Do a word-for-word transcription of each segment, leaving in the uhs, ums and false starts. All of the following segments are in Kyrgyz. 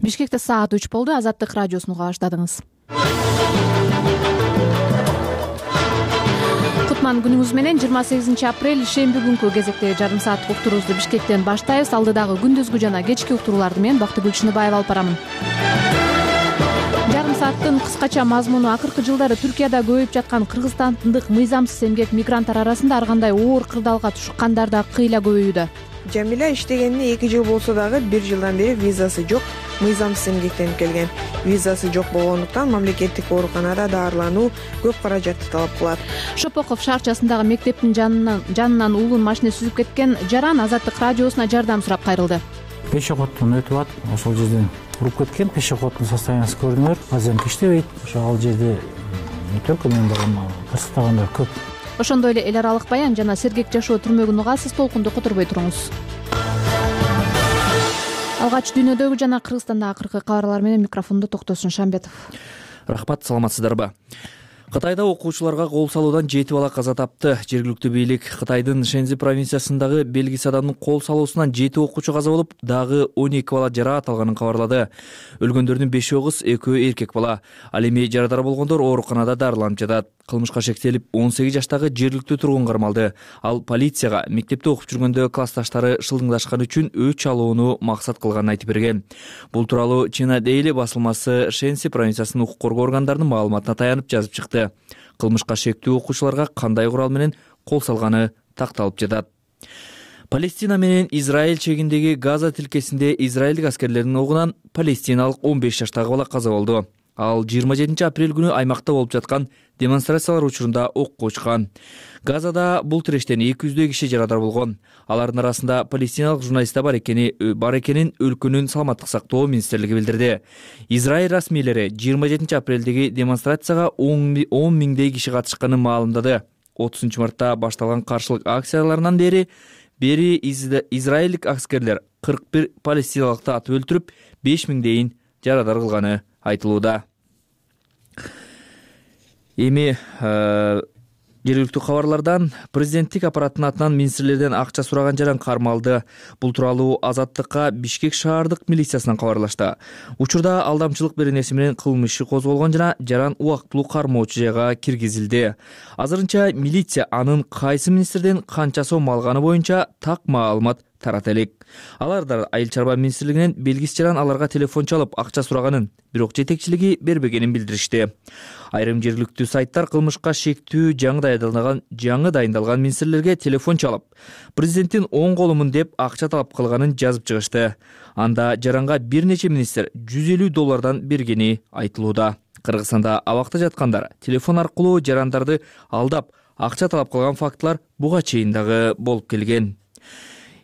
Бишкекте саат үч болду. Азаттык радиосун уга баштадыңыз. Кутман күнүңүз менен. жыйырма сегизинчи апрель шемби күнкү кезекте жарым сааттык уктуруубузду Бишкектен баштайбыз. Алдыдагы күндүзгү жана кечки уктурууларды мен Бактыгүл Чыныбаева алып барамын. Жарым сааттын кыскача мазмуну: акыркы жылдары Түркияда көбөйүп жаткан кыргызстандык мыйзамсыз эмгек мигранттар арасында ар кандай оор кырдаалга тушкандар да кыйла көбөйүүдө. Жамиля иштегенине эки жыл болсо дагы бир жылдан бери визасы жок, мыйзамсыз эмгектенип келген. Визасы жок болгондуктан мамлекеттик ооруканада дарылануу көп каражатты талап кылат. Шопоков шаарчасындагы мектептин жанынан жанынан уулун машина сүзүп кеткен жаран Азаттык радиосуна жардам сурап кайрылды. Пешеходдон өтүп атып, ошол жерден уруп кеткен. Пешеходдун состояниясы көрдүңөр. Азыр иштебейт. Ошо ал жерде не только мен болгон кырсыктагандар көп. Ошондой эле эл аралык баян жана сергек жашоо түрмөгүн угасыз. Толкунду которбой туруңуз. Алгач дүйнөдөгү жана Кыргызстандагы акыркы кабарлар менен микрофондо Токтосун Шамбетов. Рахмат, саламатсыздарбы? Кытайда окуучуларга кол салуудан жети бала каза тапты. Жергиликтүү бийлик Кытайдын Шэньзи провинциясындагы белгисиз адамдын кол салуусунан жети окуучу каза болуп, дагы он эки бала жараат алганын кабарлады. Өлгөндөрдүн бешөө кыз, экөө эркек бала. Ал эми жарадар болгондор ооруканада дарыланып жатат. Кылмышка шектелип он сегиз жаштагы жергиликтүү тургун кармалды. Ал полицияга мектепте окуп жүргөндө классташтары шылдыңдашкан үчүн өч алууну максат кылганын айтып берген. Бул тууралуу Чина Дейли басылмасы Шэньси провинциясынын укук коргоо органдарынын маалыматына таянып жазып чыкты. Кылмышка шектүү окуучуларга кандай курал менен кол салганы такталып жатат. Палестина менен Израиль чегиндеги Газа тилкесинде израилдик аскерлердин огунан палестиналык он беш жаштагы бала каза болду. Ал жыйырма жетинчи апрель күнү аймакта болуп жаткан демонстрациялар учурунда окко учкан. Газада бул тирештен эки жүздөй киши жарадар болгон. Алардын арасында палестиналык журналисттер бар экени бар экенин өлкөнүн саламаттык сактоо министрлиги билдирди. Израиль расмийлери жыйырма жетинчи апрелдеги демонстрацияга он миңдей киши катышканын маалымдады. отузунчу мартта башталган каршылык акцияларынан бери бери израилдик аскерлер кырк бир палестиналыкты атып өлтүрүп, беш миңдейин жарадар кылганы айтылууда. Эми жергиликтүү кабарлардан: президенттик аппараттын атынан министрлерден акча сураган жаран кармалды. Бул тууралуу Азаттыкка Бишкек шаардык милициясынан кабарлашты. Учурда алдамчылык беренеси менен кылмыш иши козголгон жана жаран убактылуу кармоочу жайга киргизилди. Азырынча милиция анын кайсы министрден канча сом алганы боюнча так маалымат тарата элек. Аларда айыл чарба министрлигинен белгисиз жаран аларга телефон чалып акча сураганын, бирок жетекчилиги бербегенин билдиришти. Айрым жергиликтүү сайттар кылмышка шектүү жаңы дайындалган жаңы дайындалган министрлерге телефон чалып, президенттин оң колумун деп акча талап кылганын жазып чыгышты. Анда жаранга бир нече министр жүз элүү доллардан бергени айтылууда. Кыргызстанда абакта жаткандар телефон аркылуу жарандарды алдап акча талап кылган фактылар буга чейин дагы болуп келген.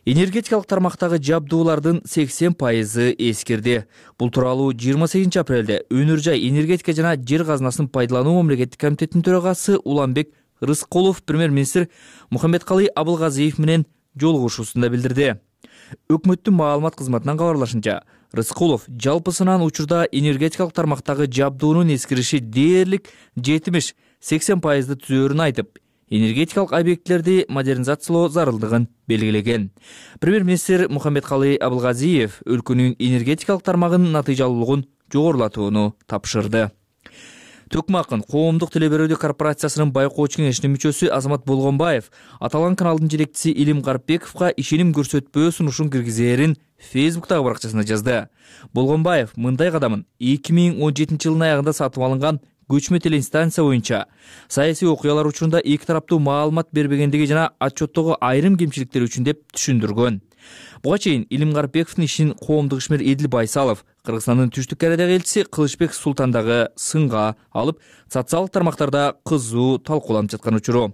Энергетикалык тармактагы жабдуулардын сексен пайызы эскирди. Бул тууралуу жыйырма сегизинчи апрелде Өнөр жай энергетика жана жер казынасын пайдалануу мамлекеттик комитетинин төрагасы Уланбек Рыскулов премьер-министр Мухаммедкалый Абылгазиев менен жолугушуусунда билдирди. Өкмөттүн маалымат кызматынан кабарлашынча, Рыскулов жалпысынан учурда энергетикалык тармактагы жабдуунун эскириши дээрлик жетимиш сексен пайызды түзөөрүн айтып, энергетикалык объектилерди модернизациялоо зарылдыгын белгилеген. Премьер-министр Мухаммедкалый Абылгазиев өлкөнүн энергетикалык тармагынын натыйжалуулугун жогорулатууну тапшырды. Төкмакын коомдук телеберүүдө корпорациясынын байкоочу кеңешинин мүчөсү Азамат Болгонбаев аталган каналдын жетекчиси Илим Карпековго ишеним көрсөтпөө сунушун киргизээрин Фейсбуктагы баракчасына жазды. Болгонбаев мындай кадамын эки миң он жетинчи жылдын аягында сатып алынган көчмө телестанция боюнча саясий окуялар учурунда эки тараптуу маалымат бербегендиги жана отчеттогу айрым кемчиликтер үчүн деп түшүндүргөн. Буга чейин Илим Карпековдун ишин коомдук ишмер Эдил Байсалов Кыргызстандын түштүк Кореядагы элчиси Кылычбек Султандагы сынга алып, социалдык тармактарда кызуу талкууланып жаткан учуру.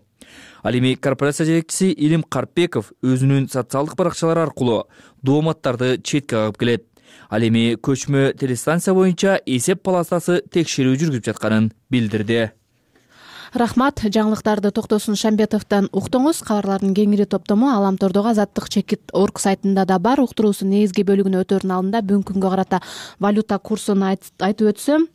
Ал эми корпорация жетекчиси Илим Карпеков өзүнүн социалдык баракчалары аркылуу дооматтарды четке кагып келет. Ал эми көчмө телестанция боюнча эсеп палатасы текшерүү жүргүзүп жатканын билдирди. Рахмат. Жаңылыктарды Токтосун Шамбетовдон уктуңуз. Кабарлардын кеңири топтому Аламтордогу Азаттык чекит орг сайтында да бар. Уктуруусунун негизги бөлүгүнө өтөрүн алдында бүгүнкү күнгө карата валюта курсун айтып өтсөм,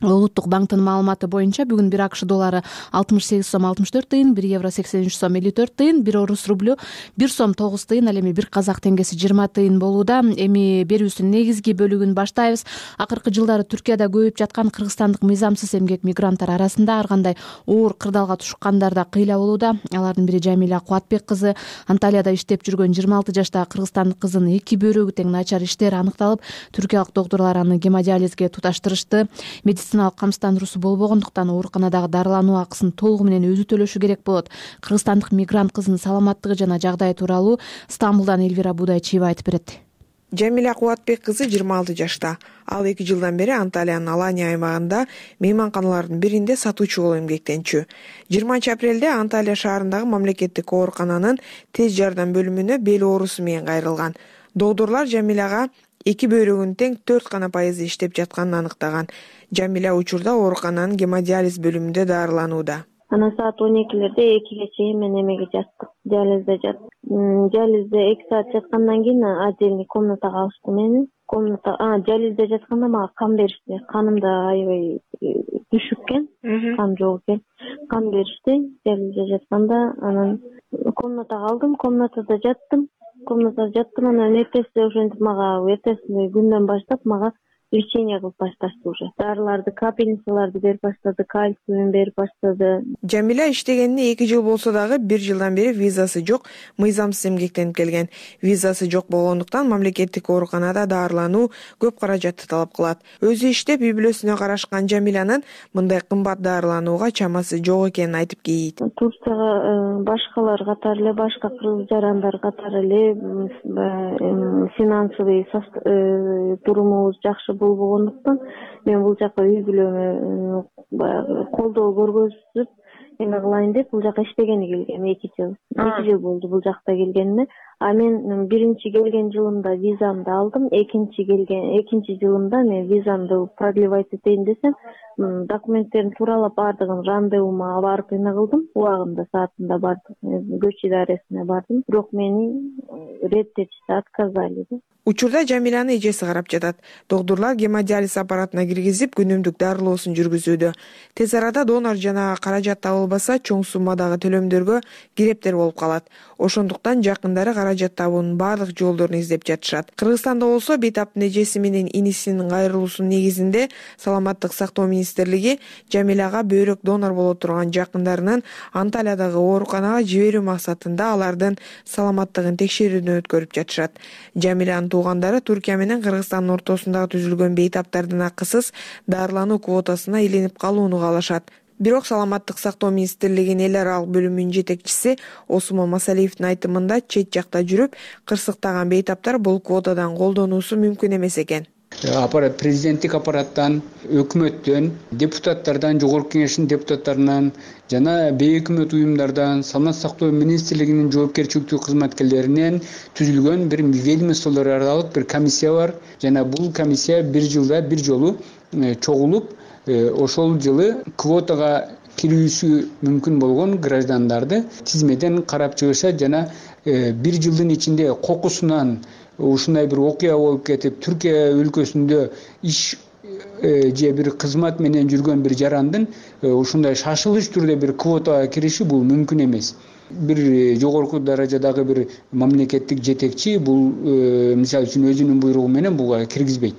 Улуттук банктын маалыматы боюнча бүгүн бир акш доллары алтымыш сегиз сом алтымыш төрт тыйын, бир евро сексен үч сом элүү төрт тыйын, бир орус рублю бир сом тогуз тыйын, ал эми бир казак теңгеси жыйырма тыйын болууда. Эми берүүбүздүн негизги бөлүгүн баштайбыз. Акыркы жылдары Түркияда көбөйүп жаткан кыргызстандык мыйзамсыз эмгек мигранттар арасында ар кандай оор кырдаалга тушкандар да кыйла болууда. Алардын бири Жамиля Кубатбек кызы. Анталияда иштеп жүргөн жыйырма алты жаштагы кыргызстандык кыздын эки бөйрөгү тең начар иштери аныкталып, түркиялык доктурлар аны гемодиализге туташтырышты. Медициналык камсыздандыруу болбогондуктан ооруканадагы дарылануу акысын толугу менен өзү төлөшү керек болот. Кыргызстандык мигрант кыздын саламаттыгы жана жагдайы тууралуу Стамбулдан Элвира Будайчиева айтып берет. Жамиля Кубатбек кызы жыйырма алты жашта. Ал эки жылдан бери Анталиянын Алания аймагында мейманканалардын биринде сатуучу болуп эмгектенчү. жыйырманчы апрелде Анталия шаарындагы мамлекеттик оорукананын тез жардам бөлүмүнө бел оорусу менен кайрылган. Доктурлар Жамиляга эки бөйрөгүнүн тең төрт гана пайызы иштеп жатканын аныктаган. Жамиля учурда оорукананын гемодиализ бөлүмүндө дарыланууда. Анан саат он экилерде экиге чейин мен эмеге жаттым. Диализде жаттым. Диализде эки саат жаткандан кийин отдельный комнатага алышты мени. Комната, а, диализде жатканда мага кан беришти. Канымда аябай түшүп экен, кан жок экен. Кан беришти диализде жатканда. Анан комнатага алдым, комнатада жаттым. Комнатада жаттым, анан эртеси ошентип мага эртеси күндөн баштап мага лечение кылып башташты уже. Дарыларды, капельницаларды берип баштады, кальциум берип баштады. Жамиля иштегенине эки жыл болсо дагы бир жылдан бери визасы жок, мыйзамсыз эмгектенип келген. Визасы жок болгондуктан мамлекеттик ооруканада дарылануу көп каражатты талап кылат. Өзү иштеп, үй бүлөсүнө карашкан Жамилянын мындай кымбат дарыланууга чамасы жок экенин айтып кейийт. Турцияга башкалар катары эле, башка кыргыз жарандар катары эле финансовый турумубуз жакшы болбогондуктан мен бул жака үй бүлөмө баягы колдоо көргөзүп эме кылайын деп бул жака иштегени келгем. эки жыл эки жыл болду бул жакта келгениме. А мен биринчи келген жылымда визамды алдым, экинчи келген экинчи жылымда мен визамды продлевать этейин десем, документтерин тууралап бардыгын рандевума барып эме кылдым, убагында саатында бардым, көч идаресине бардым, бирок мени реттетишти, отказали. Учурда Жамилянын эжеси карап жатат. Доктурлар гемодиализ аппаратына киргизип, күнүмдүк дарылоосун жүргүзүүдө. Тез арада донор жана каражат табылбаса, чоң суммадагы төлөмдөргө кирептер болуп калат. Ошондуктан жакындары каражат табуунун баардык жолдорун издеп жатышат. Кыргызстанда болсо бейтаптын эжеси менен инисинин кайрылуусунун негизинде Саламаттык сактоо министрлиги Жамиляга бөйрөк донор боло турган жакындарынын Анталиядагы ооруканага жиберүү максатында алардын саламаттыгын текшерүүдөн өткөрүп жатышат. Жамилянын туугандары Түркия менен Кыргызстандын ортосундагы түзүлгөн бейтаптардын акысыз дарылануу квотасына илинип калууну каалашат. Бирок Саламаттык сактоо министрлигинин эл аралык бөлүмүнүн жетекчиси Осмон Масалиевдин айтымында чет жакта жүрүп кырсыктаган бейтаптар бул квотадан колдонуусу мүмкүн эмес экен. Аппарат, президенттик аппараттан, өкмөттөн, депутаттардан, жогорку кеңештин депутаттарынан жана бейөкмөт уюмдардан, Саламаттык сактоо министрлигинин жоопкерчиликтүү кызматкерлеринен түзүлгөн бир ведомстволор аралык бир комиссия бар. Жана бул комиссия бир жылда бир жолу чогулуп, ошол жылы квотага кирүүсү мүмкүн болгон граждандарды тизмеден карап чыгышат жана бир жылдын ичинде кокусунан ушундай бир окуя болуп кетип, Түркия өлкөсүндө иш же бир кызмат менен жүргөн бир жарандын ушундай шашылыш түрдө бир квотага кириши бул мүмкүн эмес. Бир жогорку даражадагы бир мамлекеттик жетекчи бул мисалы үчүн өзүнүн буйругу менен буга киргизбейт.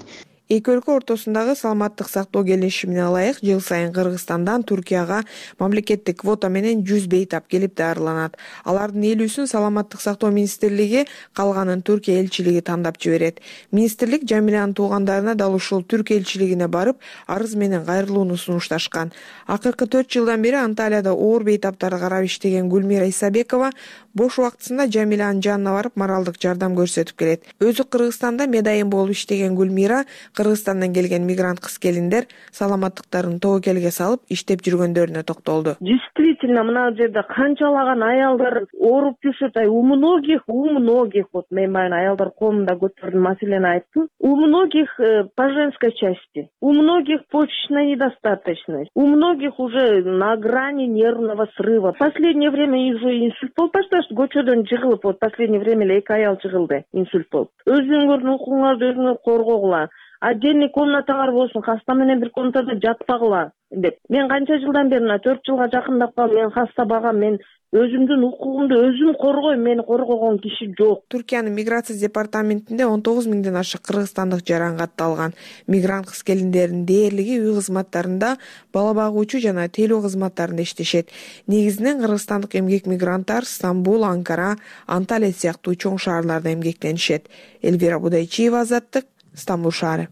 Эки өлкө ортосундагы саламаттык сактоо келишимине ылайык жыл сайын Кыргызстандан Түркияга мамлекеттик квота менен жүз бейтап келип дарыланат. Алардын элүүсүн Саламаттык сактоо министрлиги, калганын Түркия элчилиги тандап жиберет. Министрлик Жамилянын туугандарына дал ушул Түркия элчилигине барып, арыз менен кайрылууну сунушташкан. Акыркы төрт жылдан бери Анталияда оор бейтаптарды карап иштеген Гүлмира Исабекова бош убактысында Жамилянын жанына барып моралдык жардам көрсөтүп келет. Өзү Кыргызстанда медайым болуп иштеген Гүлмира Кыргызстандан келген мигрант кыз-келиндер саламаттыктарын тобокелге салып иштеп жүргөндөрүнө токтолду. Действительно, мына жерде канчалаган аялдар ооруп жүрүшөт. У многих, у многих, вот мен баягы аялдар коомунда көтөрдүм, маселени айттым. У многих по женской части, у многих почечная недостаточность, у многих уже на грани нервного срыва. В последнее время уже инсульт болуп башташты, көчөдөн жыгылып, вот последнее время эле эки аял жыгылды, инсульт болуп. Өзүңөрдүн укугуңарды өзүңөр коргогула. отдельный комнатаңар болсун, хаста менен бир комнатада жатпагыла деп. Мен канча жылдан бери мына төрт жылга жакындап калдым. Мен хаста багам, мен өзүмдүн укугумду өзүм коргойм, мени коргогон киши жок. Түркиянын миграция департаментинде он тогуз миңден ашык кыргызстандык жаран катталган. Мигрант кыз келиндердин дээрлиги үй кызматтарында, бала багуучу жана тейлөө кызматтарында иштешет. Негизинен кыргызстандык эмгек мигранттар Стамбул, Анкара, Анталия сыяктуу чоң шаарларда эмгектенишет. Элвира Будайчиева, Азаттык, Стамбул шаары.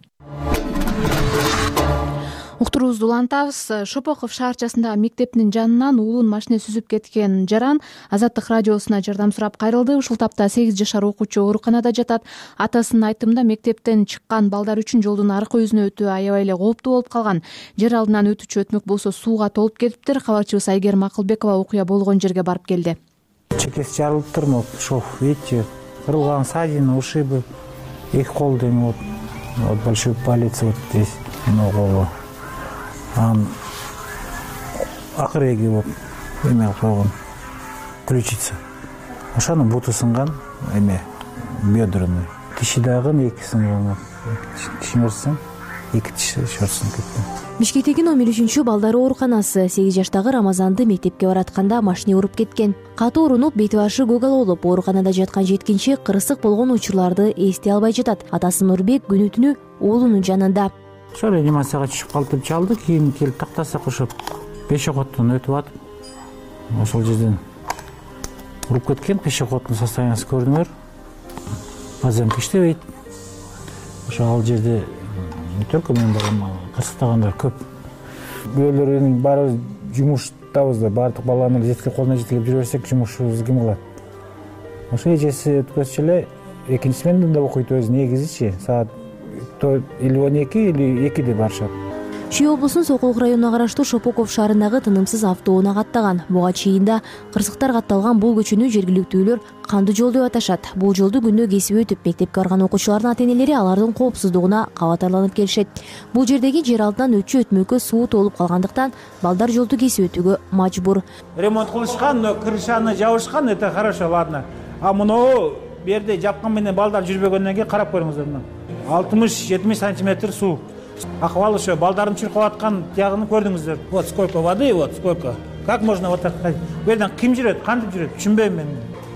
Уктуруубузду улантабыз. Шопоков шаарчасындагы мектептин жанынан уулун машина сүзүп кеткен жаран Азаттык радиосуна жардам сурап кайрылды. Ушул тапта сегиз жашар окуучу ооруканада жатат. Атасынын айтымында мектептен чыккан балдар үчүн жолдун аркы өзүнө өтүү аябай эле кооптуу болуп калган. Жер алдынан өтүүчү өтмөк болсо сууга толуп кетиптир. Кабарчыбыз Айгерим Акылбекова окуя болгон жерге барып келди. Чекеси жарылыптыр, вот шов, видите, кырылган ссадина, ушибы, эки кол деме, вот, вот большой палец вот здесь, много. Анан акыреги болуп эме койгон, ключица. Ошонун буту сынган, эме бедроный. Тиши дагы эки сынган. Түшүнөрсүң, эки тиши шортсун кеткен. Бишкектеги номер үчүнчү балдар ооруканасы сегиз жаштагы Рамазанды мектепке баратканда машина уруп кеткен. Катуу урунуп, бети башы көгал болуп, ооруканада жаткан жеткинчек кырсык болгон учурларды эстей албай жатат. Атасы Нурбек күнү түнү уулунун жанында. Ошо реанимацияга түшүп калып чалды, кийин келип тактасак ошо пешеходдон өтүп атып, ошол жерден уруп кеткен. Пешеходдун состояниясы көрдүңөр. Азем иштебейт. Ошо ал жерде не только мен балам, кырсыктагандар көп. Бөөлөрүн баарыбыз жумуштабыз да, баардык баланы жеткилип колуна жеткилип жүрө берсек, жумушубузду ким кылат? Ошо эжеси өткөзчү эле экинчи сменада окуйт өзү негизичи. Саат или он эки или экиде барышат. Чүй облусунун Сокулук районуна караштуу Шопоков шаарындагы тынымсыз автоунаа каттаган. Буга чейинде кырсыктар катталган бул көчөнү жергиликтүүлөр кандуу жол деп аташат. Бул жолду күндө кесип өтүп, мектепке барган окуучулардын ата-энелери алардын коопсуздугуна кабатарланып келишет. Бул жердеги жер алдынан өтчү өтмөккө суу толуп калгандыктан балдар жолду кесип өтүүгө мажбур. Ремонт кылышкан, но крышаны жабышкан, это хорошо, ладно. А муну бу жерде жапкан менен балдар жүрбөгөндөн кийин карап көрүңүздөр мына. алтымыш жетимиш сантиметр суу. Акыбал ошо балдардын чуркап аткан тиягын көрдүңүздөр. Вот сколько воды, вот сколько. Как можно вот так? Бу жерден ким жүрөт, кантип жүрөт? Түшүнбөйм мен.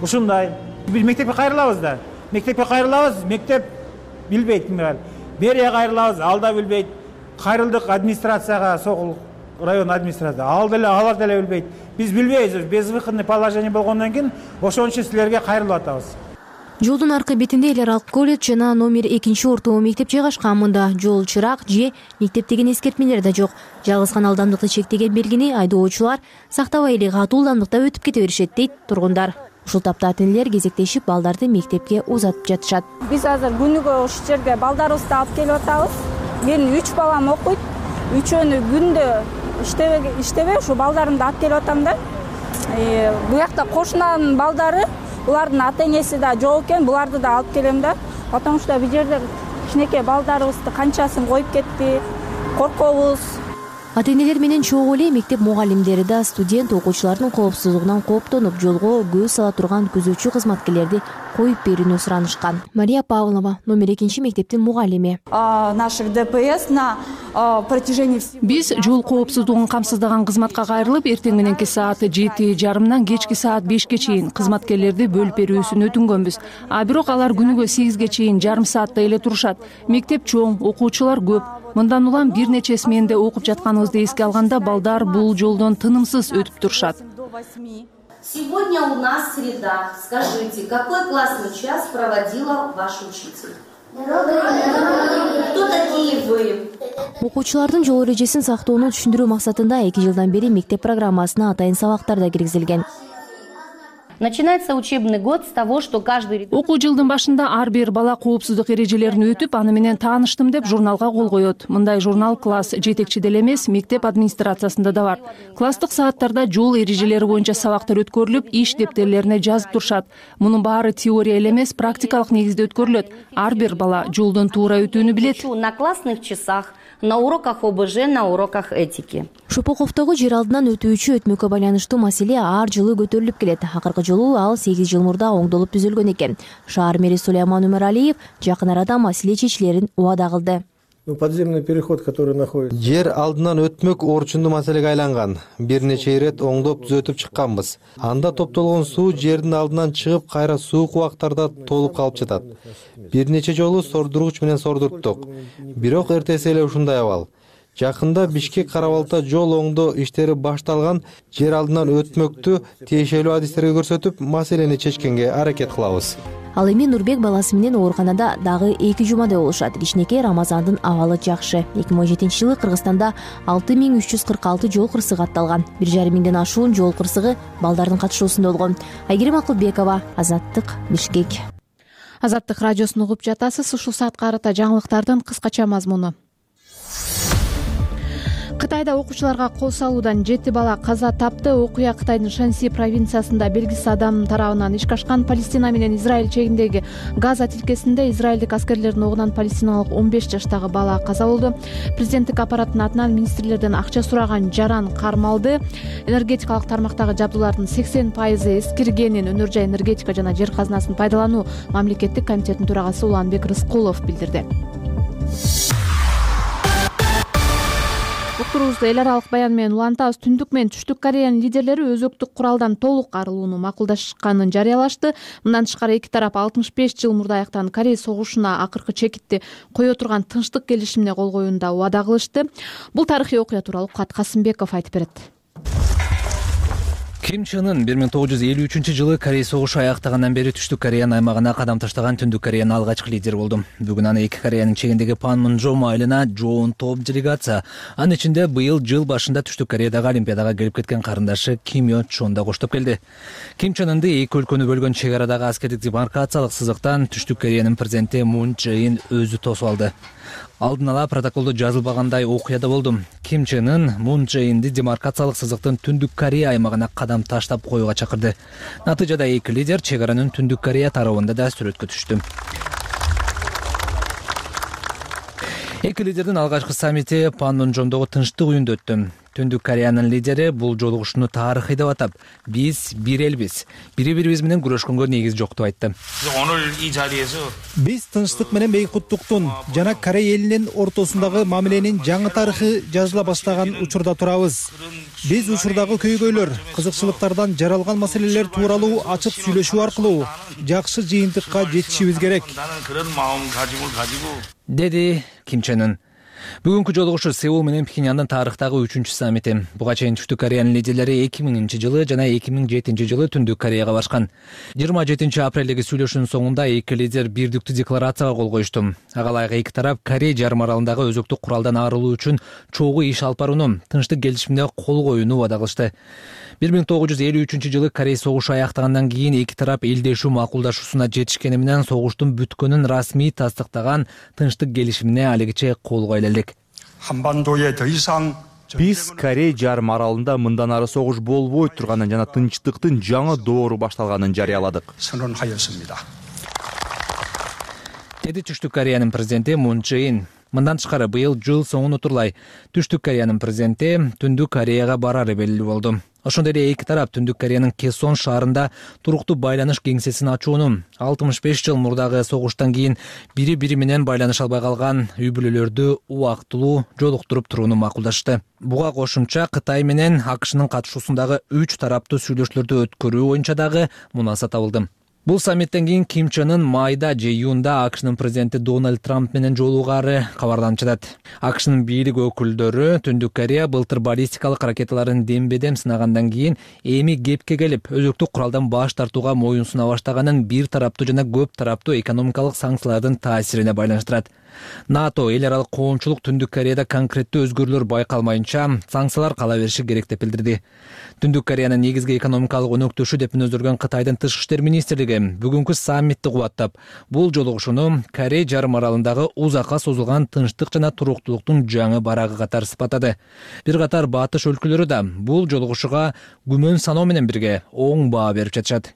Ушундай. Биз мектепке кайрылабыз да. Мектепке кайрылабыз, мектеп билбейт кимге. Берия кайрылабыз, ал да билбейт. Кайрылдык администрацияга, Сокулук район администрациясы. Ал деле, алар деле билбейт. Биз билбейбиз, безвыходный положение болгондон кийин ошон үчүн силерге кайрылып атабыз. Жолдун аркы бетинде эл аралык колледж жана номер экинчи орто мектеп жайгашкан. Мында жол чырак же мектеп деген эскертмелер да жок. Жалгыз гана ылдамдыкты чектеген белгини айдоочулар сактабай эле катуу ылдамдыкта өтүп кете беришет дейт тургундар. Ушул тапта ата-энелер кезектешип балдарды мектепке узатып жатышат. Биз азыр күнүгө ушул жерге балдарыбызды алып келип атабыз. Менин үч балам окуйт. Үчөөнү күндө иштебей иштебей ушу балдарымды алып келип атам да. Бу жакта кошунанын балдары, булардын ата-энеси да жок экен, буларды да алып келем да. Потому что бу жерде кичинекей балдарыбызды канчасын коюп кетти, коркобуз. Ата-энелер менен чогуу эле мектеп мугалимдери да студент окуучулардын коопсуздугунан кооптонуп, жолго көз сала турган күзөтчү кызматкерлерди коюп берүүнү суранышкан. Мария Павлова, номер экинчи мектептин мугалими. Наших ДПС на протяжении Биз жол коопсуздугун камсыздаган кызматка кайрылып, эртең мененки саат жети жарымдан кечки саат бешке чейин кызматкерлерди бөлүп берүүсүн өтүнгөнбүз. А бирок алар күнүгө сегизге чейин жарым сааттай эле турушат. Мектеп чоң, окуучулар көп. Мындан улам бир нече сменде окуп жатканыбызды эске алганда балдар бул жолдон тынымсыз өтүп турушат. Сегодня у нас среда. Скажите, какой классный час проводила ваш учитель? Кто такие вы? Окуучулардын жол эрежесин сактоону түшүндүрүү максатында эки жылдан бери мектеп программасына атайын сабактар да киргизилген. Начинается учебный год с того, что каждый... Окуу жылдын башында ар бир бала коопсуздук эрежелерин өтүп, аны менен тааныштым деп журналга кол коет. Мындай журнал класс жетекчиде эле эмес, мектеп администрациясында да бар. Класстык сааттарда жол эрежелери боюнча сабактар өткөрүлүп, иш дептерлерине жазып турушат. Мунун баары теория эле эмес, практикалык негизде өткөрүлөт. Ар бир бала жолдон туура өтүүнү билет. На классных часах, на уроках ОБЖ, на уроках этики. Шопоковдогу жер алдынан өтүүчү өтмөккө байланыштуу маселе ар жылы көтөрүлүп келет. Акыркы жолу ал сегиз жыл мурда оңдолуп түзөлгөн экен. Шаар мэри Сулейман Өмөралиев жакын арада маселе чечилерин убада кылды. подземный переход, который находится. Жер алдынан өтмөк орчундуу маселеге айланган. Бир нече ирет оңдоп түзөтүп чыкканбыз. Анда топтолгон суу жердин алдынан чыгып, кайра суук убактарда толуп калып жатат. Бир нече жолу сордургуч менен сордурттук. Бирок эртеси эле ушундай абал. Жакында Бишкек Карабалта жол оңдоо иштери башталган. Жер алдынан өтмөктү тиешелүү адистерге көрсөтүп, маселени чечкенге аракет кылабыз. Ал эми Нурбек баласы менен ооруканада дагы эки жумадай болушат. Кичинекей Рамазандын абалы жакшы. эки миң он жетинчи жылы Кыргызстанда алты миң үч жүз кырк алты жол кырсыгы атталган. бир жарым миңден ашуун жол кырсыгы балдардын катышуусунда болгон. Айгерим Акылбекова, Азаттык, Бишкек. Азаттык радиосун угуп жатасыз. Ушул саатка карата жаңылыктардын кыскача мазмуну. Кытайда окуучуларга кол салуудан жети бала каза тапты. Окуя Кытайдын Шэньси провинциясында белгисиз адам тарабынан ишке ашкан. Палестина менен Израиль чегиндеги Газа тилкесинде израилдик аскерлердин огунан палестиналык он беш жаштагы бала каза болду. Президенттик аппараттын атынан министрлерден акча сураган жаран кармалды. Энергетикалык тармактагы жабдуулардын сексен пайызы эскиргенин Өнөр жай энергетика жана жер казынасын пайдалануу мамлекеттик комитетинин төрагасы Уланбек Рыскулов билдирди. Уктуруубузду эл аралык баян менен улантабыз. Түндүк менен Түштүк Кореянын лидерлери өзөктүк куралдан толук арылууну макулдашканын жарыялашты. Мындан тышкары эки тарап алтымыш беш жыл мурда аяктаган Корей согушуна акыркы чекитти кое турган тынчтык келишимине кол коюуда убада кылышты. Бул тарыхый окуя тууралуу Кат Касымбеков айтып берет. Ким Чен Ын бир миң тогуз жүз элүү үчүнчү жылы Корей согушу аяктагандан бери Түштүк Кореянын аймагына кадам таштаган Түндүк Кореянын алгачкы лидери болду. Бүгүн аны эки Кореянын чегиндеги Панмунжом айылына жоон топ делегация. Анын ичинде быйыл жыл башында Түштүк Кореядагы Олимпиадага келип кеткен карындашы Ким Yo Чон да коштоп келди. Ким Чен Ынды эки өлкөнү бөлгөн чек арадагы аскердик демаркациялык сызыктан Түштүк Кореянын президенти Мун Чжэ Ин өзү тосуп алды. Алдын ала протоколдо жазылбагандай окуяда болду. Ким Чен Ын Мун Чжэ Инди демаркациялык сызыктын Түндүк Корея аймагына кадам таштап коюуга чакырды. Натыйжада эки лидер чек аранын Түндүк Корея тарабында да сүрөткө түштү. Эки лидердин алгачкы саммити Панмунжомдогу тынчтык үйүндө өттү. Түндүк Кореянын лидери бул жолугушууну тарыхый деп атап, биз бир элбиз, бири-бирибиз менен күрөшкөнгө негиз жок деп айтты. Биз тынчтык менен бейкуттуктун жана Корей элинин ортосундагы мамиленин жаңы тарыхы жазыла баштаган учурда турабыз. Биз учурдагы көйгөйлөр, кызыкчылыктардан жаралган маселелер тууралуу ачык сүйлөшүү аркылуу жакшы жыйынтыкка жетишибиз керек, деди Ким Чен Ын. Бүгүнкү жолугушуу Сеул менен Пхеньяндын тарыхтагы үчүнчү саммити. Буга чейин Түштүк Кореянын лидерлери эки миңинчи жылы жана эки миң жетинчи жылы Түндүк Кореяга барышкан. жыйырма жетинчи апрелдеги сүйлөшүүнүн соңунда эки лидер бирдиктүү декларацияга кол коюшту. Ага ылайык эки тарап Корей жарым аралындагы өзөктүк куралдан арылуу үчүн чогуу иш алып барууну, тынчтык келишимине кол коюуну убада кылышты. бир миң тогуз жүз элүү үчүнчү жылы Корей согушу аяктагандан кийин эки тарап элдешүү макулдашуусуна жетишкени менен согуштун бүткөнүн расмий тастыктаган тынчтык келишимине алигиче кол кое элек. Биз Корей жарым аралында мындан ары согуш болбой турганын жана тынчтыктын жаңы доору башталганын жарыяладык, деди Түштүк Кореянын президенти Мун Чжэ Ин. Мындан тышкары быйыл жыл соңун утурлай Түштүк Кореянын президенти Түндүк Кореяга барары белгилүү болду. Ошондой эле эки тарап Түндүк Кореянын Кесон шаарында туруктуу байланыш кеңсесин ачууну, алтымыш беш жыл мурдагы согуштан кийин бири-бири менен байланыша албай калган үй бүлөлөрдү убактылуу жолуктуруп турууну макулдашты. Буга кошумча Кытай менен АКШнын катышуусундагы үч тараптуу сүйлөшүүлөрдү өткөрүү боюнча дагы мунаса табылды. Бул саммиттен кийин Ким Чен Ын майда же июнда АКШнын президенти Дональд Трамп менен жолугары кабарданып жатат. АКШнын бийлик өкүлдөрү Түндүк Корея былтыр баллистикалык ракеталарын дембедем сынагандан кийин эми кепке келип, өзөктүк куралдан баш тартууга моюн суна баштаганын бир тараптуу жана көп тараптуу экономикалык санкциялардын таасирине байланыштырат. НАТО эл аралык коомчулук Түндүк Кореяда конкреттүү өзгөрүүлөр байкалмайынча санкциялар кала бериши керек деп билдирди. Түндүк Кореянын негизги экономикалык өнөктөшү деп мүнөздөргөн Кытайдын тышкы иштер министрлиги бүгүнкү саммитти кубаттап, бул жолугушууну Корей жарым аралындагы узакка созулган тынчтык жана туруктуулуктун жаңы барагы катары сыпаттады. Бир катар батыш өлкөлөрү да бул жолугушууга күмөн саноо менен бирге оң баа берип жатышат.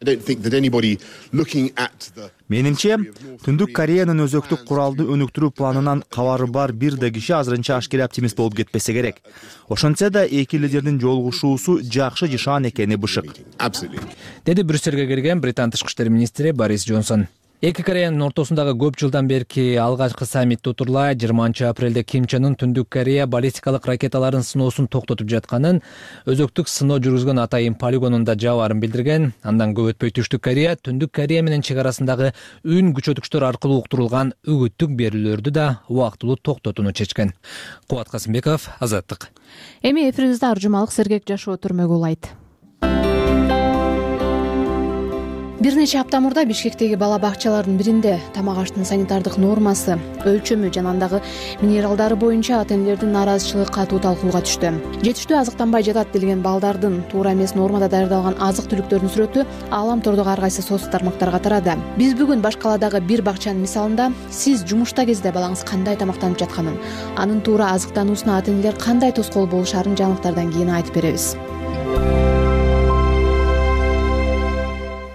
Менимче, Түндүк Кореянын өзөктүк куралды өнүктүрүү планынан кабары бар бир да киши азырынча ашкере оптимист болуп кетпесе керек. Ошентсе да эки лидердин жолугушуусу жакшы жышаан экени бышык, деди Брюссельге келген Британ тышкы иштер министри Борис Джонсон. Эки Кореянын ортосундагы көп жылдан берки алгачкы саммит утурлай жыйырманчы апрелде Ким Чен Ын Түндүк Корея баллистикалык ракеталарын сыноосун токтотуп жатканын, өзөктүк сыноо жүргүзгөн Атайын полигонунда жабарын билдирген. Андан көп өтпөй Түштүк Корея Түндүк Корея менен чек арасындагы үн күчөткүчтөр аркылуу уктурулган үгүттүк берүүлөрдү да убактылуу токтотууну чечкен. Кубат Касымбеков, Азаттык. Эми эфирибизде ар жумалык сергек жашоо түрмөгү улайт. Бир нече апта мурда Бишкектеги бала бакчалардын биринде тамак аштын санитардык нормасы, өлчөмү жана андагы минералдары боюнча ата-энелердин нааразычылыгы катуу талкууга түштү. Жетиштүү азыктанбай жатат делген балдардын туура эмес нормада даярдалган азык-түлүктөрдүн сүрөтү аалам тордогу ар кайсы социалдык тармактарга тарады. Биз бүгүн Баш калаадагы бир бакчанын мисалында сиз жумушта кезде балаңыз кандай тамактанып жатканын, анын туура азыктануусуна ата-энелер кандай тоскоол болушарын жаңылыктардан кийин айтып беребиз.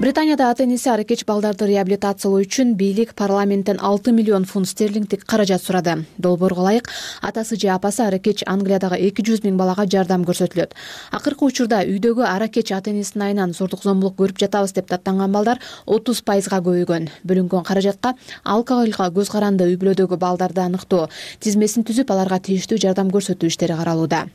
Британияда ата-энеси аракеч балдарды реабилитациялоо үчүн бийлик парламенттен алты миллион фунт стерлингдик каражат сурады. Долбоорго ылайык атасы же апасы аракеч Англиядагы эки жүз миң балага жардам көрсөтүлөт. Акыркы учурда үйдөгү аракеч ата-энесинин айынан зордук зомбулук көрүп жатабыз деп даттанган балдар отуз пайызга көбөйгөн. Бөлүнгөн каражатка алкоголго көз каранды үй бүлөдөгү балдарды аныктоо тизмесин түзүп, аларга тийиштүү жардам көрсөтүү иштери каралууда.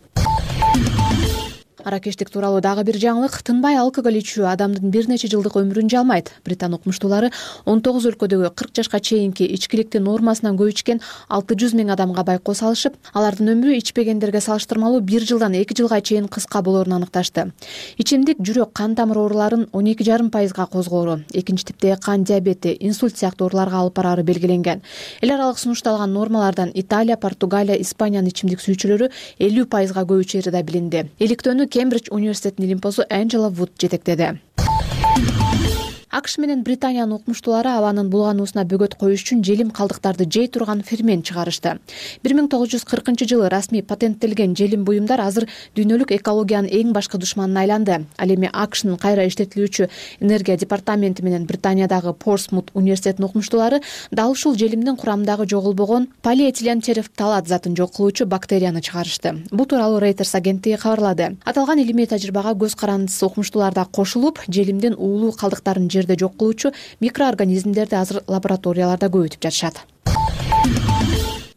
Аракештик тууралуу дагы бир жаңылык. Тынбай алкоголь ичүү адамдын бир нече жылдык өмүрүн жалмайт. Британ окумуштуулары он тогуз өлкөдөгү кырк жашка чейинки ичкиликтин нормасынан көп ичкен алты жүз миң адамга байкоо салышып, алардын өмүрү ичпегендерге салыштырмалуу бир жылдан эки жылга чейин кыска болоорун аныкташты. Ичимдик жүрөк кан тамыр ооруларын он эки жарым пайызга козгоору, экинчи типтеги кан диабети, инсульт сыяктуу ооруларга алып бараары белгиленген. Эл аралык сунушталган нормалардан Италия, Португалия, Испаниянын ичимдик сүйүүчүлөрү элүү пайызга көбөйчү да билинди. Иликтөөнү Кембридж университетинин илимпоздо Анджела Вуд жетектеди. АКШ менен Британиянын окумуштуулары абанын булгануусуна бөгөт коюш үчүн желим калдыктарды жей турган фермент чыгарышты. бир миң тогуз жүз кыркынчы жылы расмий патенттелген желим буюмдар азыр дүйнөлүк экологиянын эң башкы душманына айланды. Ал эми АКШнын кайра иштетилүүчү энергия департаменти менен Британиядагы Портсмут университетинин окумуштуулары дал ушул желимдин курамындагы жоголбогон полиэтилен терефталат затын жок кылуучу бактерияны чыгарышты. Бул тууралуу Reuters агенттиги кабарлады. Аталган илимий тажрыйбага көз карандысыз окумуштуулар да кошулуп, желимдин уулуу калдыктарын жерде жок кылуучу микроорганизмдерди азыр лабораторияларда көбөйтүп жатышат.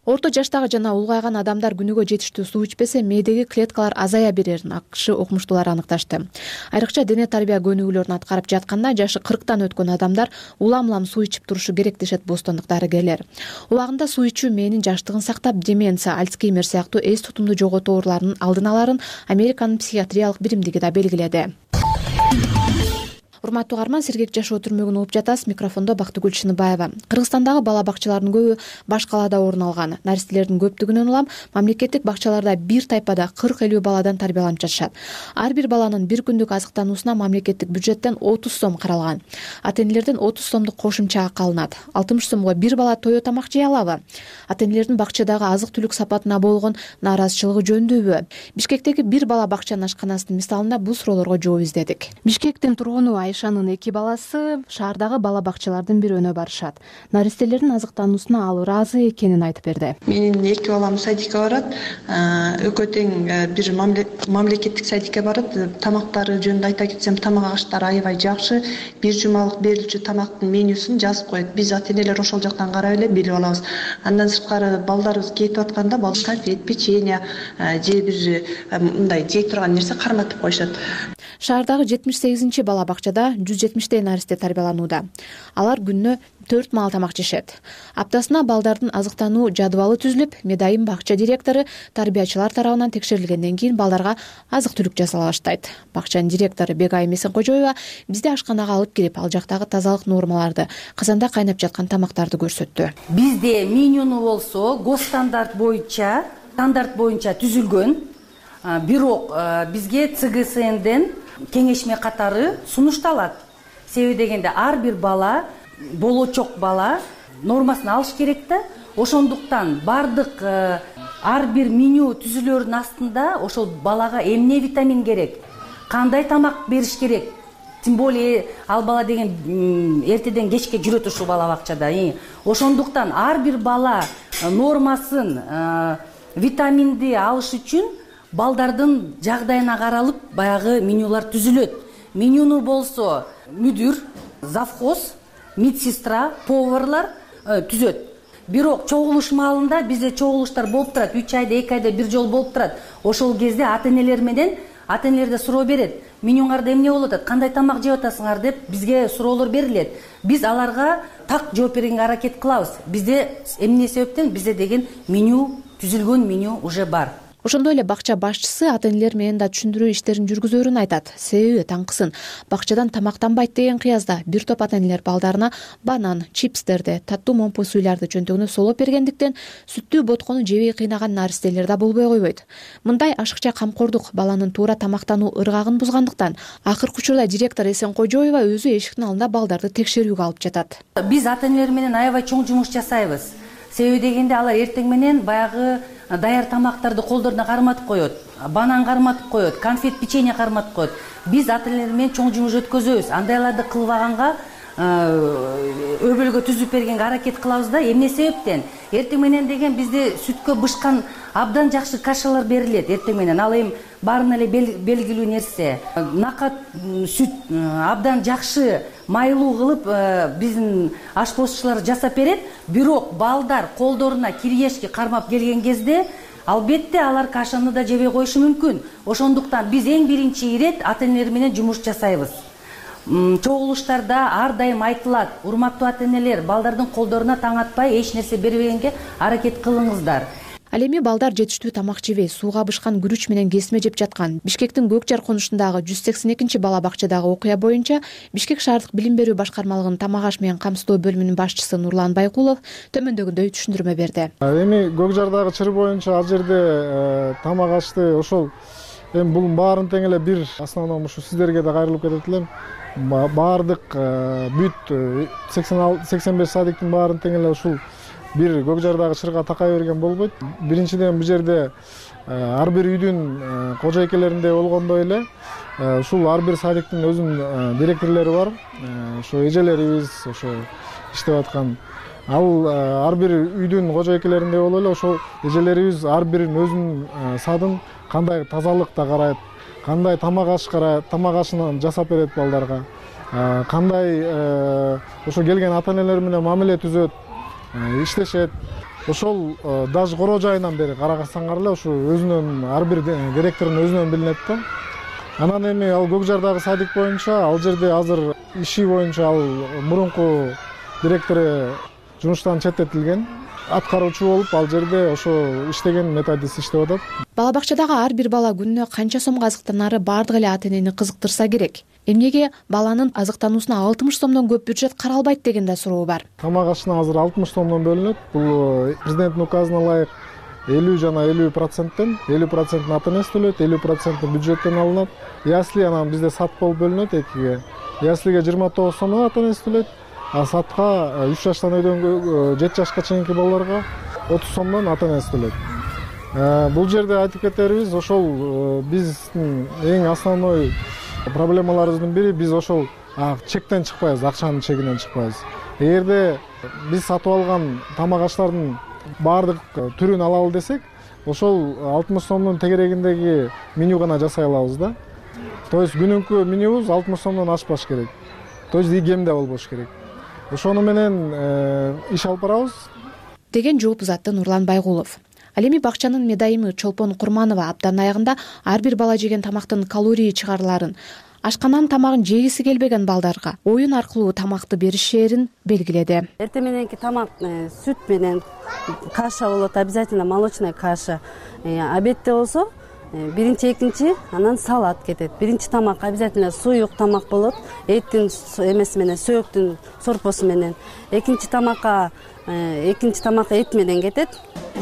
Орто жаштагы жана улгайган адамдар күнүгө жетиштүү суу ичпесе, мээдеги клеткалар азая берерин АКШ окумуштуулары аныкташты. Айрыкча дене тарбия көнүгүүлөрүн аткарып жатканда жашы кырктан өткөн адамдар улам-улам суу ичип турушу керек дешет бостандык дарыгерлер. Убагында суу ичүү мээнин жаштыгын сактап, деменция, Альцгеймер сыяктуу эс тутумду жоготуу ооруларынын алдын аларын Американын психиатриялык биримдиги да белгиледи. Урматтуу угарман, сергек жашоо түрмөгүн угуп жатасыз. Микрофондо Бактыгүл Чыныбаева. Кыргызстандагы бала бакчаларынын көбү Баш калаада орун алган. Наристелердин көптүгүнөн улам мамлекеттик бакчаларда бир тайпада кырк элүү баладан тарбияланып жатышат. Ар бир баланын бир күндүк азыктануусуна мамлекеттик бюджеттен отуз сом каралган. Ата-энелерден отуз сомдук кошумча акы алынат. алтымыш сомго бир бала тое тамак жей алабы? Ата-энелердин бакчадагы азык-түлүк сапатына болгон нааразычылыгы жөндөбү? Бишкектеги бир бала бакчанын ашканасынын мисалында бул суроолорго жооп издедик. Бишкектин тургуну Айшанын эки баласы шаардагы бала бакчалардын бирөөнө барышат. Наристелердин азыктануусуна ал ыраазы экенин айтып берди. Менин эки балам садикке барат. Экөө тең бир мамлекеттик садикке барат. Тамактары жөнүндө айта кетсем, тамак аштары аябай жакшы. Бир жумалык берилчү тамактын менюсун жазып коет. Биз ата-энелер ошол жактан карап эле билип алабыз. Андан сырткары балдарыбыз кетип атканда конфет, печенье же бир мындай жей турган нерсе карматып коюшат. Шаардагы жетимиш сегизинчи бала бакчада жүз жетимиштей наристе тарбияланууда. Алар күнүнө төрт маал тамак жешет. Аптасына балдардын азыктануу жадыбалы түзүлүп, Медайым бакча директору тарбиячылар тарабынан текшерилгенден кийин балдарга азык-түлүк жасала баштайт. Бакчанын директору Бегайым Эсенкожоева бизди ашканага алып келип, ал жактагы тазалык нормаларды, казанда кайнап жаткан тамактарды көрсөттү. Бизде менюну болсо госстандарт боюнча, стандарт боюнча түзүлгөн. Бирок бизге ЦГСНден кеңешме катары сунушталат. Себеби дегенде ар бир бала, болочок бала нормасын алыш керек да. Ошондуктан бардык ар бир меню түзүлөрүнүн астында ошол балага эмне витамин керек, кандай тамак бериш керек. Тем более ал бала деген эртеден кечке жүрөт ушул бала бакчада. Ошондуктан ар бир бала нормасын, витаминди алыш үчүн балдардын жагдайына каралып баягы менюлар түзүлөт. Менюну болсо мүдүр, завхоз медсестра, поварлар түзөт. Бирок чогулуш маалында бизде чогулуштар болуп турат, үч айда эки айда бир жолу болуп турат. Ошол кезде ата-энелер менен ата-энелерде суроо берет. Менюңарда эмне болуп атат, кандай тамак жеп атасыңар деп бизге суроолор берилет. Биз аларга так жооп бергенге аракет кылабыз. Бизде эмне себептен бизде деген меню, түзүлгөн меню уже бар. Ошондой эле бакча башчысы ата-энелер менен да түшүндүрүү иштерин жүргүзөөрүн айтат. Себеби таңкысын бакчадан тамактанбайт деген кыязда бир топ ата-энелер балдарына банан, чипстерди, таттуу момпу суйларды жөнтөгүнө солоп бергендиктен сүттүү боткону жебей кыйнаган наристелер да болбой койбойт. Мындай ашыкча камкордук баланын туура тамактануу ыргагын бузгандыктан акыркы учурда директор Эсенкожоева өзү эшиктин алдында балдарды текшерүүгө алып жатат. Биз ата-энелер менен аябай чоң жумуш жасайбыз. Себеби дегенде алар эртең менен баягы даяр тамактарды колдоруна карматып коет, банан карматып коет, конфет, печенье карматып коет. Биз ата-энелер менен чоң жумуш өткөзөбүз. Андайларды кылбаганга өбөлгө түзүп бергенге аракет кылабыз да. Эмне себептен? Эртең менен деген бизде сүткө бышкан абдан жакшы кашалар берилет эртең менен. Ал эми баарына эле белгилүү нерсе. Накат сүт абдан жакшы майлуу кылып биздин ашпозчулар жасап берет. Бирок балдар колдоруна киргешки кармап келген кезде албетте алар кашаны да жебей коюшу мүмкүн. Ошондуктан биз эң биринчи ирет ата-энелер менен жумуш жасайбыз. Чогулуштарда ар дайым айтылат: урматтуу ата-энелер, балдардын колдоруна таң атпай эч нерсе бербегенге аракет кылыңыздар. Ал эми балдар жетиштүү тамак жебей, сууга бышкан күрүч менен кесме жеп жаткан. Бишкектин Көк Жар конушундагы жүз сексен экинчи бала бакчадагы окуя боюнча Бишкек шаардык билим берүү башкармалыгынын тамак аш менен камсыздоо бөлүмүнүн башчысы Нурлан Байкулов төмөндөгүндөй түшүндүрмө берди. Эми Көк Жардагы чыр боюнча ал жерде тамак ашты ошол эми бул баарын тең эле бир основном ушу сиздерге да кайрылып кетет элем. Баардык бүт сексен беш садиктин баарын тең эле ушул бир Көк Жардагы чырга такай берген болбойт. Биринчиден бул жерде ар бир үйдүн кожойкелеринде болгондой эле ушул ар бир садиктин өзүнүн директорлору бар. Ошо эжелерибиз ошо иштеп аткан. Ал ар бир үйдүн кожойкелеринде болуп эле ошол эжелерибиз ар биринин өзүнүн садын кандай тазалыкта карайт, кандай тамак аш карайт, тамак ашын жасап берет балдарга, кандай ошо келген ата-энелер менен мамиле түзөт, иштешет. Ошол даже короо жайынан бери карасаңар эле ушу өзүнүн ар бир директордун өзүнөн билинет да. Анан эми ал Көк Жардагы садик боюнча ал жерде азыр иши боюнча ал мурунку директору жумуштан четтетилген. Аткаруучу болуп ал жерде ошо иштеген методист иштеп атат. Бала бакчадагы ар бир бала күнүнө канча сомго азыктанары бардык эле ата-энени кызыктырса керек. Эмнеге баланын азыктануусуна алтымыш сомдон көп бюджет каралбайт деген да суроо бар. Тамак ашына азыр алтымыш сомдон бөлүнөт. Бул президенттин указына ылайык элүү жана элүү проценттен, элүү процентин ата-энеси төлөйт, элүү проценти бюджеттен алынат. Ясли анан бизде сат болуп бөлүнөт экиге. Яслиге жыйырма тогуз сомдон ата-энеси төлөйт. А сатка үч жаштан өйдөнгө жети жашка чейинки балдарга отуз сомдон ата-энеси төлөйт. Бул жерде айтып кетерибиз, ошол биздин эң основной проблемаларыбыздын бири, биз ошол чектен чыкпайбыз, акчанын чегинен чыкпайбыз. Эгерде биз сатып алган тамак аштардын баардык түрүн алалы десек, ошол алтымыш сомдун тегерегиндеги меню гана жасай алабыз да. То есть күнүнкү менюбуз алтымыш сомдон ашпаш керек. То есть и кем да болбош керек. Ошону менен иш алып барабыз деген жооп узатты Нурлан Байгулов. Ал эми бакчанын медайымы Чолпон Курманова аптанын аягында ар бир бала жеген тамактын калорий чыгарыларын, ашканан тамагын жегиси келбеген балдарга оюн аркылуу тамакты беришерин белгиледи. Эртең мененки тамак сүт менен каша болот, обязательно молочная каша. Обедте болсо биринчи, экинчи, анан салат кетет. Биринчи тамак обязательно суюк тамак болот, эттин эмеси менен, сөйөктүн сорпосу менен. Экинчи тамакка экинчи тамак эт менен кетет.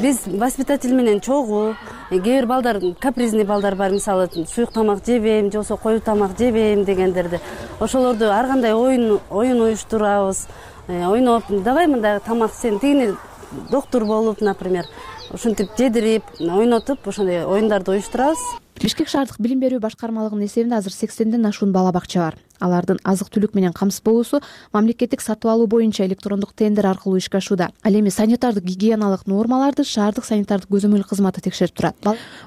Биз воспитатель менен чогуу, кээ бир балдар, капризный балдар бар, мисалы суюк тамак жебейм, же болбосо коюу тамак жебейм дегендерди. Ошолорду ар кандай оюн оюн уюштурабыз. Ойноп, давай мындай тамак сен тигини доктор болуп, например, ушинтип жедирип, ойнотуп, ошондой оюндарды уюштурабыз. Бишкек шаардык билим берүү башкармалыгынын эсебинде азыр сексенден ашуун бала бакча бар. алардын азык түлүк менен камсыз болуусу мамлекеттик сатып алуу боюнча электрондук тендер аркылуу ишке ашууда. Ал эми санитардык гигиеналык нормаларды шаардык санитардык көзөмөл кызматы текшерип турат.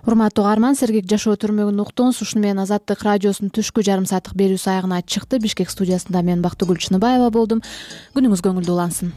Урматтуу угарман, сергек жашоо түрмөгүн уктуңуз. Ушуну менен Азаттык радиосунун түшкү жарым сааттык берүүсү аягына чыкты. Бишкек студиясында мен Бактыгүл Чыныбаева болдум. Күнүңүз көңүлдүү улансын.